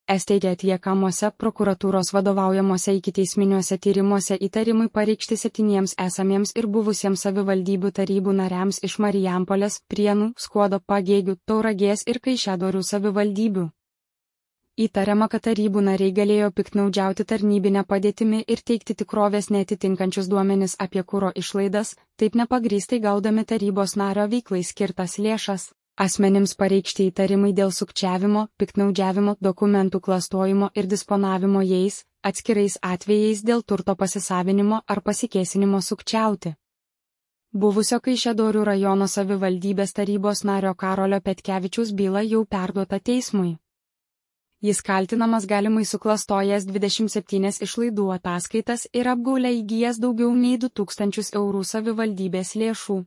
Teigia atliekamuose prokuratūros vadovaujamuose ikiteisminiuose tyrimuose įtarimai pareikšti 7 esamiems ir buvusiems savivaldybių tarybų nariams iš Marijampolės, Prienų, Skuodo, Pagėgių, Tauragės ir Kaišiadorių savivaldybių. Įtariama, kad tarybų nariai galėjo piktnaudžiauti tarnybinę padėtimi ir teikti tikrovės neatitinkančius duomenis apie kuro išlaidas, taip nepagrįstai gaudami tarybos nario veiklai skirtas lėšas. Asmenims pareikšti įtarimai dėl sukčiavimo, piktnaudžiavimo, dokumentų klastojimo ir disponavimo jais, atskirais atvejais dėl turto pasisavinimo ar pasikėsinimo sukčiauti. Buvusio Kaišiadorių rajono savivaldybės tarybos nario Karolio Petkevičiaus byla jau perduota teismui. Jis kaltinamas galimai suklastojęs 27 išlaidų ataskaitas ir apgaule įgijęs daugiau nei 2000 eurų savivaldybės lėšų.